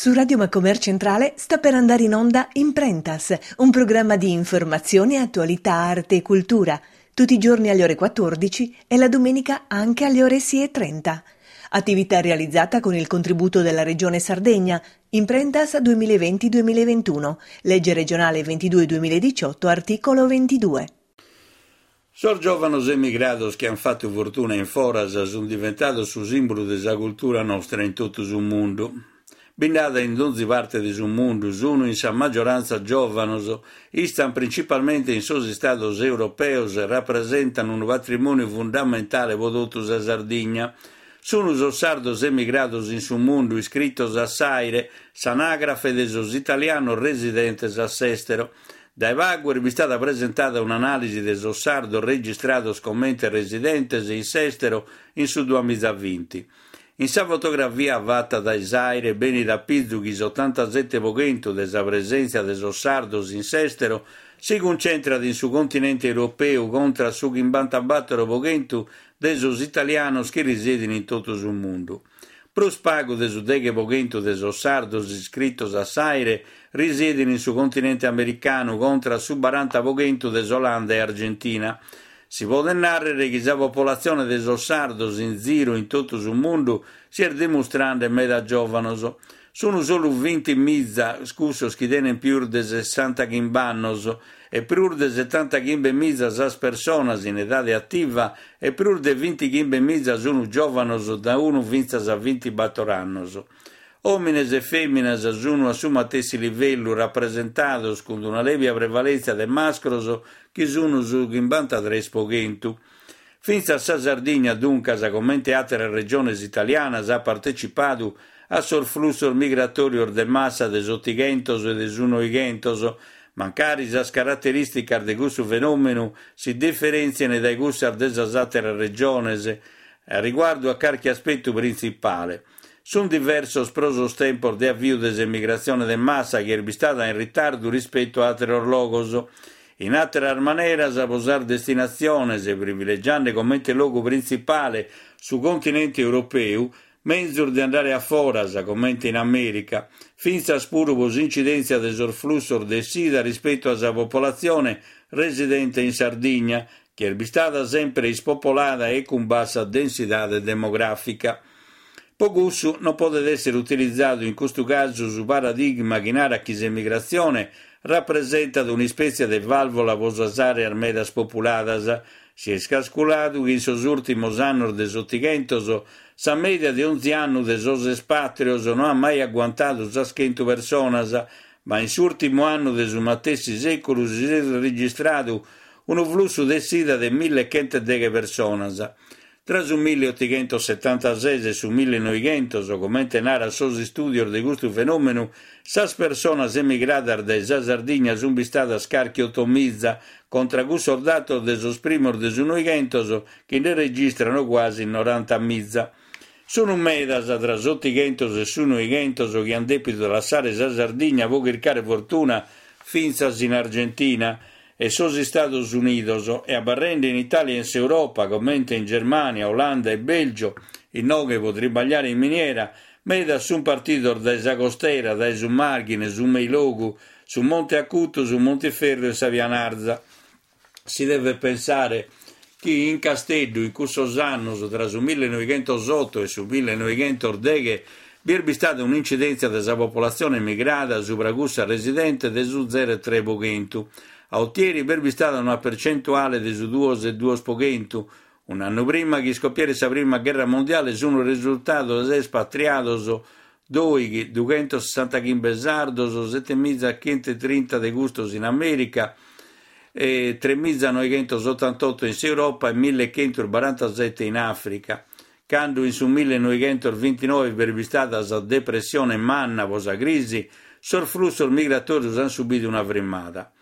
Su Radio Macomer Centrale sta per andare in onda Imprentas, un programma di informazione, attualità, arte e cultura, tutti i giorni alle ore 14 e la domenica anche alle ore 6.30. Attività realizzata con il contributo della Regione Sardegna, Imprentas 2020-2021, legge regionale 22-2018, articolo 22. Sos giòvanos emigrados chi ant fatu fortuna in foras sunt diventados su sìmbulu de sa cultura nostra in totu su mundu. Bi nd'at in donzi parte de su mundu, sunu in sa maggiorantza giòvanos, istan principalmente in sos istados europeos e rapresentan unu patrimòniu fundamentale pro totu sa Sardigna. Sunu sos sardos emigrados in su mundu iscritos a s'AIRE, s'anàgrafe de sos italianos residentes a s'èstero. Dae pagu est bistada presentada un'anàlisi de sos sardos registrados comente residentes in s'èstero in su duamizavinti. In sa fotografia fata dae s'AIRE benit a pizu chi s'otantasete po chentu de sa presèntzia de sos sardos in s'èstero si cuncentrat in su continente europeu contra su chimbantabàtoro po chentu de sos italianos chi risedin in totu su mundu. Prus pagu de su deghe po chentu de sos sardos iscritos a s'AIRE risiedin in su continente americanu contra su baranta po chentu de s'Olanda e Argentina. Si podet nàrrere chi sa popolatzione de sos sardos in ziru in totu su mundu si est dimustrande meda giòvanos. Sunu solu vintimiza cussos chi tenen pius de sessantachimb'annos e prus de setantachimbemiza sas personas in edade ativa e prus de vintichimbemiza sunu giòvanos da unu fintzas a vintibator annos. Òmines e fèminas sunu a su matessi livellu rapresentados cun una lèbia prevalèntzia de mascros chi sunu su chimbantatres po chentu. Fintzas sa Sardigna, duncas, comente àteras regiones italianas, at partecipadu a sos flussos migratòrios de massa de s'Otighentos e de su Noighentos, mancari sas caraterìsticas de cussu fenòmenu si diferèntzien dae cussas de sas àteras regiones a riguardu a carchi aspetu printzipale. Sunt diversos pro sos tempos de aviu de s'emigratzione de massa chi est bistada in ritardu rispetu a àteros logos. In àteras maneras, pro sas destinatziones, privilegiande comente logu printzipale su continente europeu, menzus de andare a foras, comente in Amèrica, fintzas puru pro s'incidèntzia de sos flussos de essida rispetu a sa popolatzione residente in Sardigna, chi est bistada semper ispopolada e cun bassa densidade demogràfica. Pro cussu non podet èssere utilizadu in custu casu su paradigma chi narat chi s'emigratzione rapresentat un'ispètzia de vàlvola pro sas àreas medas populadas. Si est calculadu chi in sos ùrtimos annos de s'Otighentos sa mèdia de onzi annu de sos espàtrios no at mai aguantadu sas chentu personas, ma in s'ùrtimu annu de su matessi sèculu si est registradu unu flussu de essida de millechentoedeghe personas. Tra su milliotighentosetantases e su millinoighentos, comente narat sos istùdios de custu fenòmenu, sas personas emigradas dae sa Sardigna sunt bistadas carchi otomiza, contra cussos datos de sos primos de su Noighentos chi nde registrano cuasi norantamiza. Sunu medas, tra s'Otighentos e su Noighentos, chi ant dèpidu lassare sa Sardigna pro chircare fortuna fintzas in Argentina, e sos Istados Unidos e abarrende in Itàlia e in s'Europa, comente in Germània, Olanda e Bèlgio, inoghe pro tribagliare in miniera, medas sunt partidos dae sa costera, dae su Màrghine, su Meilogu, su Monte Acutu, su Montiferru e sa Pianarza. Si devet pensare chi in Casteddu in cussos annos, tra su millenoighentosoto e su millenoighentosdeghe, bi est bistada un'incidèntzia de sa popolatzione emigrada subra cussa residente de su zero e tre po chentu. A Otieri b'est bistada una percentuale de su duos e duos po chentu. Un'annu prima chi iscopieret sa prima gherra mondiale sunt resurtados espatriados doighi dughentosessantachimbe sardos, setemizachentotrinta de custos in Amèrica, e tremizanoighentosotantotto in s'Europa e millechentobarantasete in Àfrica. Cando in su millenoighentosvintinoe b'est bistada sa depressione manna pro sa crisi, sos flussos migratòrios ant subidu una frimmada.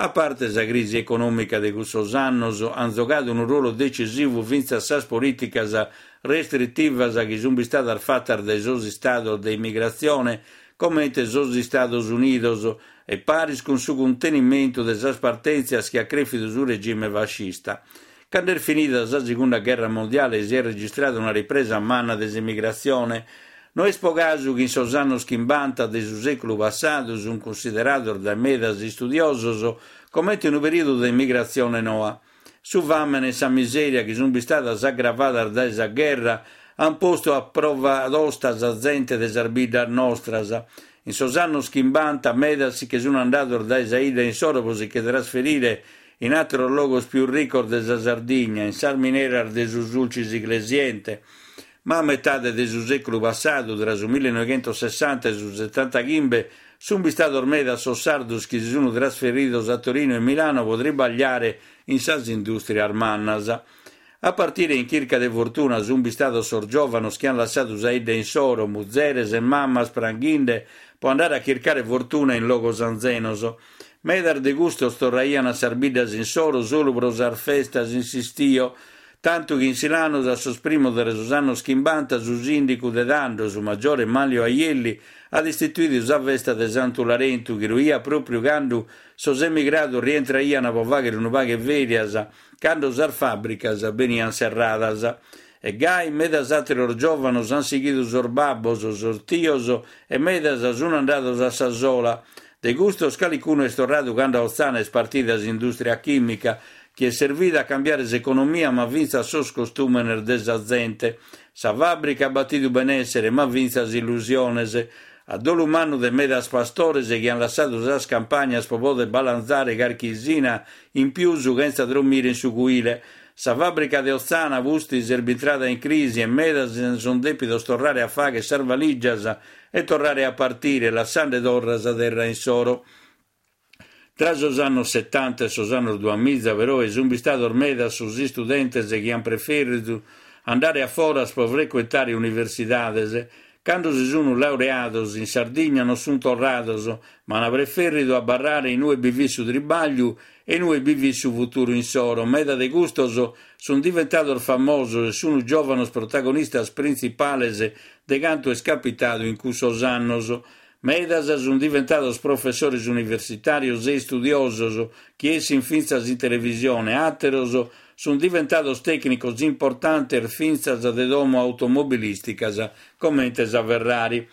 A parte sa crisi econòmica de cussos annos, ant zogadu unu ruolu decisivu fintzas sas polìticas restritivas chi sunt bistadas fatas dae sos istados de immigratzione, comente sos Istados Unidos, e paris cun su cuntenimentu de sas partèntzias chi at crèfidu su regime fascista. Cando est finida sa Segunda Gherra Mondiale si est registrada una ripresa manna de s'emigratzione. No est po casu chi in sos annos chimbanta de su sèculu passadu sunt cunsiderados dae medas istudiosos comente unu perìodu de emigratzione noa. Su fàmene e sa misèria chi sunt bistadas agravadas dae sa gherra ant postu a prova tosta sa zente de sas biddas nostras. In sos annos chimbanta medas si che sunt andados dae sa 'idda insoro pro si che trasferire in àteros logos pius ricos de sa Sardigna, in sas mineras de su Sulcis Iglesiente. Ma a metade de su sèculu passadu, tra su millenoighentosessanta e su setantachimbe, sunt bistados medas sos sardos chi si sunt trasferidos a Torino e Milano pro tribagliare in sas indùstrias mannas. A partire in chirca de fortuna sunt bistados sos giòvanos chi ant lassadu sa 'idda insoro, muzeres e mamas pranghinde pro andare a chircare fortuna in logos anzenos. Medas de custos torraiant a sas biddas insoro solu pro sas festas in s'istiu, Tantu chi in Silanus a sos primos de sos annos chimbanta su sìndicu de tando, su maggiore Manlio Aielli, at istituidu sa festa de Santu Larentu chi ruiat pròpriu cando sos emigrados rientraiant pro fàghere unu pagu 'e fèrias, cando sas fàbricas beniant serradas. E gai medas àteros giòvanos ant sighidu sos babbos, sos tios e medas sunt andados a sa sola. De custos calicunu est torradu cando a Otzana est partida s'indùstria chìmica, chi est servida a cambiare s'economia ma fintzas sos costùmenes de sa zente. Sa fàbrica at batidu benèssere ma fintzas illusiones. A dolu mannu de medas pastores chi an lassadu sas campagnas pro poder balanzare carchi 'isina in pius chentza drommire in su cuile. Sa fàbrica de Otzana pustis est bintrada in crisi e medas sunt dèpidos torrare a fagher sas valìgias e torrare a partire, lassande torra sa terra insoro. Tra sos annos setanta e sos annos duamiza, peroe, sunt bistados medas sos istudentes chi ant prefèrridu andare a foras pro frecuentare universidades. Cando si sunt laureados in Sardigna non sunt torrados, ma ant prefèrridu abarrare in ue bi fit su tribàgliu e in ue bi fit su futuru insoro. Meda de custos sunt diventados famosos e sunt giòvanos protagonistas printzipales de cantu est capitadu in cussos annos. Medas sunt diventados professores universitàrios e istudiosos chi essint fintzas in televisione, àteros sunt diventados tècnicos importantes fintzas de domo automobilìsticas comente sa Ferrari.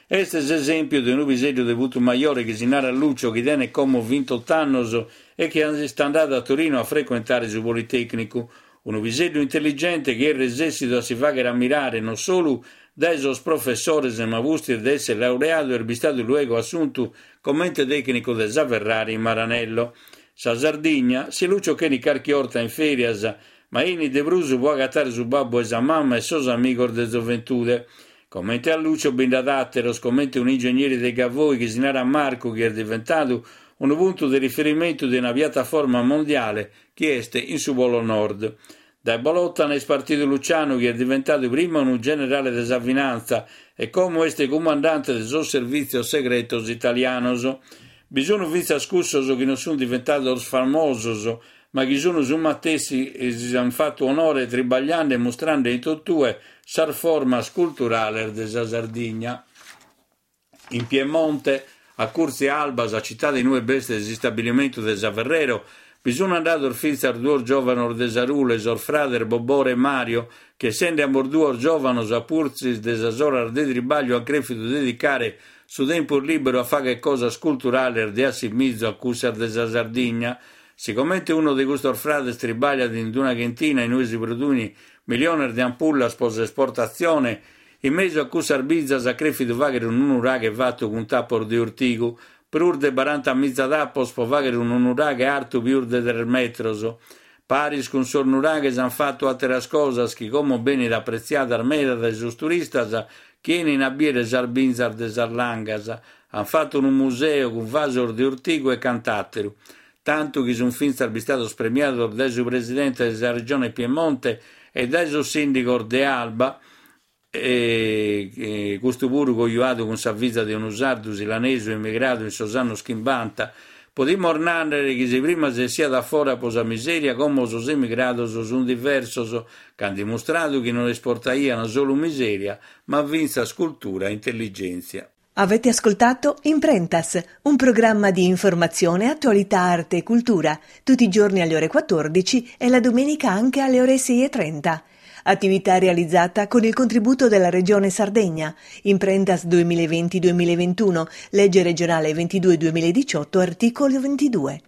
Est s'esèmpiu de unu piseddu de Putumajore chi si narat Lucio chi tenet como vintot'annos e chi est andadu a Torino a frecuentare su Politècnicu. Unu piseddu intelligente chi est resèssidu a si fàghere ammirare non solu dae sos professores ma pustis de èssere laureadu est bistadu luego assuntu comente tècnicu de sa Ferrari in Maranello. Sa Sardigna, si Lucio ch'enit carchi 'orta in fèrias, ma 'enit de prus pro agatare su babbu e sa mama e sos amigos de zoventude. Comente a Lucio bi nd'at àteros, comente un'ingegneri de Gavoi chi si narat Marcu chi est diventadu unu puntu de riferimentu de una piataforma mondiale chi est in su Polo Nord. Dae Bolòtana est partidu Lucianu chi est diventadu prima unu generale de sa finantza e como est cumandante de sos servìtzios segretos italianos. Bi sunt fintzas cussos chi non sunt diventados famosos ma chi sunt su matessi e si ant fatu onore tribagliende e mustrende in totue sas formas culturales de sa Sardigna. In Piemonte, a curtzu a Alba, sa citade in ue b'est s'istabilimentu de sa Ferrero, bi sunt andados fintzas duos giòvanos de Sarule, sos frades Bobore e Mario, chi essende ambos duos giòvanos a pustis de sas oras de tribàgliu ant crèfidu dedicare su tempus lìberu a fàghere cosas culturales de assimizu a cussas de sa Sardigna. Sigomente unu de custos frades tribàgliat in una chentina in ue si produin miliones de ampullas pro s'esportatzione, In mesu a cussas binzas at crèfidu fàghere unu nuraghe fatu cun tapos de ortigu, prus de barantamiza tapos pro fàghere unu nuraghe artu pius de tres metros. Paris cun sos nuraghes ant fatu àteras cosas chi como benint apretziadas meda dae sos turistas chi 'enin a bìere sas binzas de sas Langas. Ant fatu unu museu cun vasos de ortigu e cant'àteru. Tantu chi sunt fintzas bistados premiados dae su presidente de sa Regione Piemonte e dae sos sìndigos de Alba, e custu puru cojuadu cun sa fiza de unu sardu silanesu emigradu in sos annos chimbanta. Podimus nàrrere chi si prima si essiat a fora pro sa misèria, como sos emigrados sunt diversos, ca ant dimustradu chi non esportaiant solu misèria, ma fintzas cultura e intelligèntzia. Avete ascoltato Imprentas, un programma di informazione, attualità, arte e cultura, tutti i giorni alle ore 14 e la domenica anche alle ore 6.30. Attività realizzata con il contributo della Regione Sardegna. Imprentas 2020-2021, legge regionale 22-2018, articolo 22.